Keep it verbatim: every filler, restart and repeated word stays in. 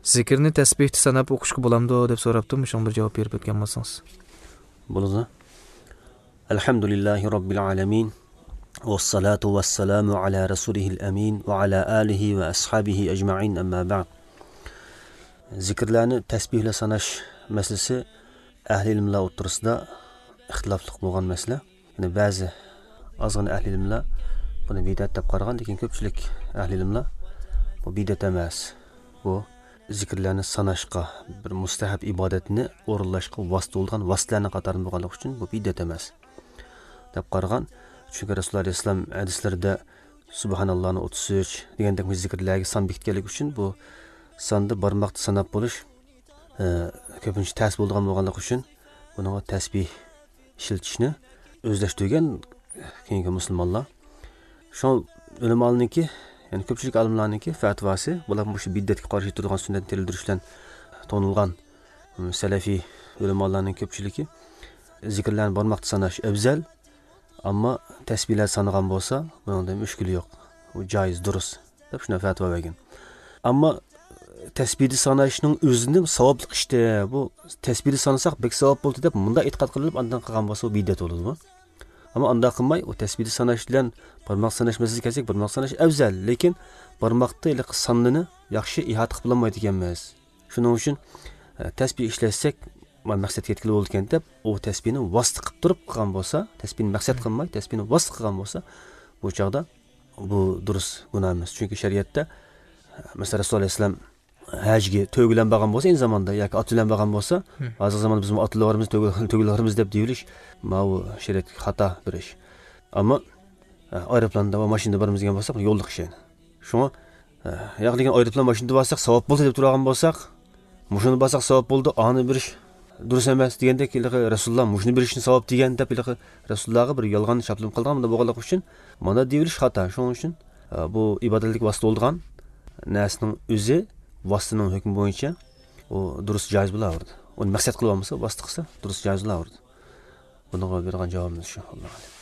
Zikrni tasbihni sanab o'qishga bo'lamdi deb so'rabdi. Shunga bir javob berib o'tgan bo'lsangiz. Bo'ladi. Alhamdulillahi robbil alamin. Vassalatu vassalamu ala rasulihil amin va ala alihi va ashabihi ajma'in, amma ba'd. Zikrlarni tasbihla sanash masalasi ahli ilmlar o'rtasida ixtilofli bo'lgan masala. Ya'ni ba'zi ozgina ahli ilmlar buni bid'at deb qaragan, lekin ko'pchilik ahli ilmlar bu bid'at emas. Bu zikrlarni sanashga, bir mustahab ibodatni o'rinlashga vosita bo'lgan vositalarning qatorida bo'lganligi uchun bu bid'at emas deb qaragan. Chunki Rasululloh alayhissalom hadislarida subhanallohni o'ttiz uch degandek zikrlarga son bekitganligi uchun bu sonni barmoqda sanab bo'lish e, ko'pincha tas bo'lgan bo'lganligi uchun buni tasbih ishlatishni o'zlashtirgan keyingi musulmonlar. Shu ulamolarniki, ya'ni ko'pchilik olimlarniki fatvosi, bular shu bid'atga qarshi turgan sunnatni tildirish bilan to'nilgan salafiy ulamolarning ko'pchiligi zikrlarni barmoqda sanash afzal, ammo tasbihlar sanagan bo'lsa, bundan mushkuli yo'q. U joiz, durust deb shuna fatvo bergan. Ammo tasbihni sanashning o'zini savobli ishdi. Bu tasbihni sanasak bek savob bo'ldi deb bunda e'tiqod qilib, andan qilgan bo'lsa u bid'at bo'ladi bu. Ammo unda qilmay, u tasbihni sanash bilan barmoq sanash masalasiga kelsak, barmoq sanash afzal, lekin barmoqda iliq sonnini yaxshi ihota qilib bo'lmaydi ekanmiz. Shuning uchun tasbih ishlatsak, maqsadga yetkazib bo'ldi ekan deb, u tasbihni vosita qilib turib qilgan bo'lsa, tasbihni maqsad qilmay, tasbihni vosita qilgan bo'lsa, bu chog'da bu durust gunoh emas. Chunki shariatda masalan Rasululloh alayhissalom hajga to'y bilan borgan bo'lsa, endi zamonda yoki ot bilan borgan bo'lsa, hozirgi zamonda biz otlarimiz, to'ylarimiz deb deyilish, bu shariatga xato bir ish. Ammo aeroplanda va mashinada boramiz degan bo'lsak, yo'lliq ish. Shunga yo'q degan aeroplan mashinada borsak, savob bo'ldi deb turgan bo'lsak, mushuni borsak savob bo'ldi, ani birish durust emas degandek, Rasululloh mushuni berishni savob degan deb Rasulullohga bir yolg'on chaplim qilgan bo'lganligi uchun mana deyilish xato. Shuning uchun bu ibodatlik vosita bo'lgan narsaning o'zi vositaning hukmi bo'yicha u durust joiz bo'laverdi. Uni maqsad qilib olmasa, vosita qilsa durust joiz bo'laverdi. Bunga bergan javobimiz shu. Allohu a'lam.